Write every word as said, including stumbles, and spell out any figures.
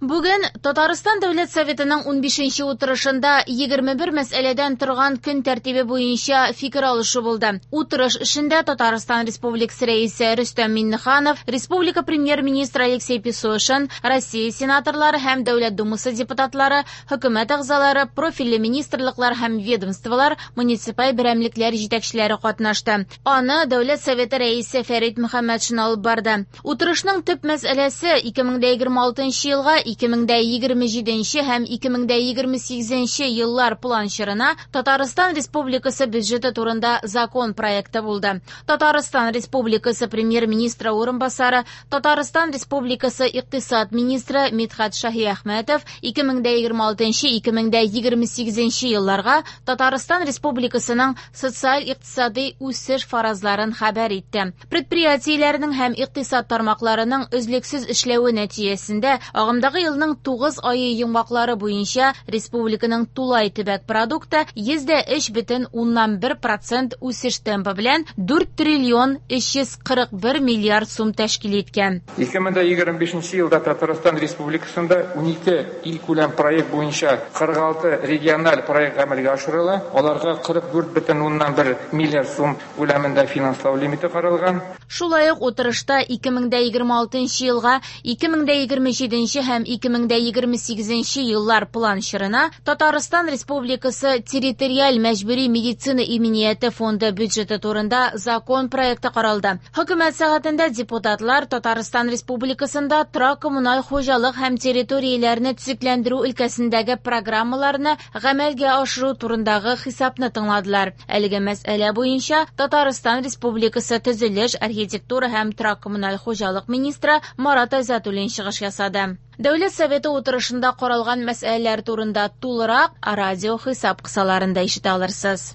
Бүген Татарстан Дәүләт Советының унбишенче утырышында егерме бер мәсьәләдән торган көн тәртибе буенча фикер алышу булды. Утырыш эшендә Татарстан Республикасы Рәисе Рөстәм Миңнеханов, Республика Премьер-министры Алексей Песошин, Россия сенаторлары һәм Дәүләт Думасы депутатлары, хөкүмәт әгъзалары, профильле министрлыклар һәм ведомстволар, муниципаль берәмлекләр җитәкчеләре катнашты. Аны Дәүләт Советы Рәисе Фәрит Мөхәммәтшин алып барды. Утырышның төп мәсьәләсе ике мең дә егерме алтынчы елга ике мең дә егерме җиденче һәм ике мең дә егерме сигезенче еллар план чорына Татарстан Республикасы бюджеты турында закон проекты булды. Татарстан Республикасы премьер-министры урынбасары, Татарстан Республикасы икътисад министры Мидхәт Шаһиәхмәтов ике мең дә егерме алтынчы ике мең дә егерме сигезенче елларга Татарстан Республикасының социаль-икътисади үсеш фаразларын хәбәр итте. Предприятиеләрнең һәм икътисад тармакларының өзлексез эшләве нәтиҗәсендә агымдагы елның тугыз ае йомгаклары буенча республиканың тулай төбәк продукты йөз дә өч бөтен уннан бер процент үсеш темпы белән дүрт триллион өч йөз кырык бер миллиард сум тәшкил иткән. Ике мең дә егерме бишенче елда Татарстан Республикасында унике илкүләм проект буенча кырык алты региональ проект гамәлгә ашырыла. Аларга кырык дүрт бөтен уннан бер миллиард сум күләмендә финанслау лимиты каралган. Шулай ук утырышта ике мең дә егерме алтынчы елга ике мең дә егерме җиденче һәм ике мең дә егерме сигезенче еллар план чорына Татарстан Республикасы территориаль мәҗбүри медицина иминияте фонды бюджеты турында закон проекты каралды. Хөкүмәт сәгатендә депутатлар Татарстан Республикасында торак коммуналь хуҗалык һәм территорияләрне төзекләндерү өлкәсендәге программаларны гамәлгә ашыру турындагы хисапны тыңладылар. Әлеге мәсьәлә буенча Татарстан Республикасы төзелеш, архитектура һәм торак коммуналь хуҗалык министры Марат Айзатуллин чыгыш ясады. Дәүләт Советы утырышында каралган мәсьәләләр турында тулырак радио хисап кысаларында ишетә алырсыз.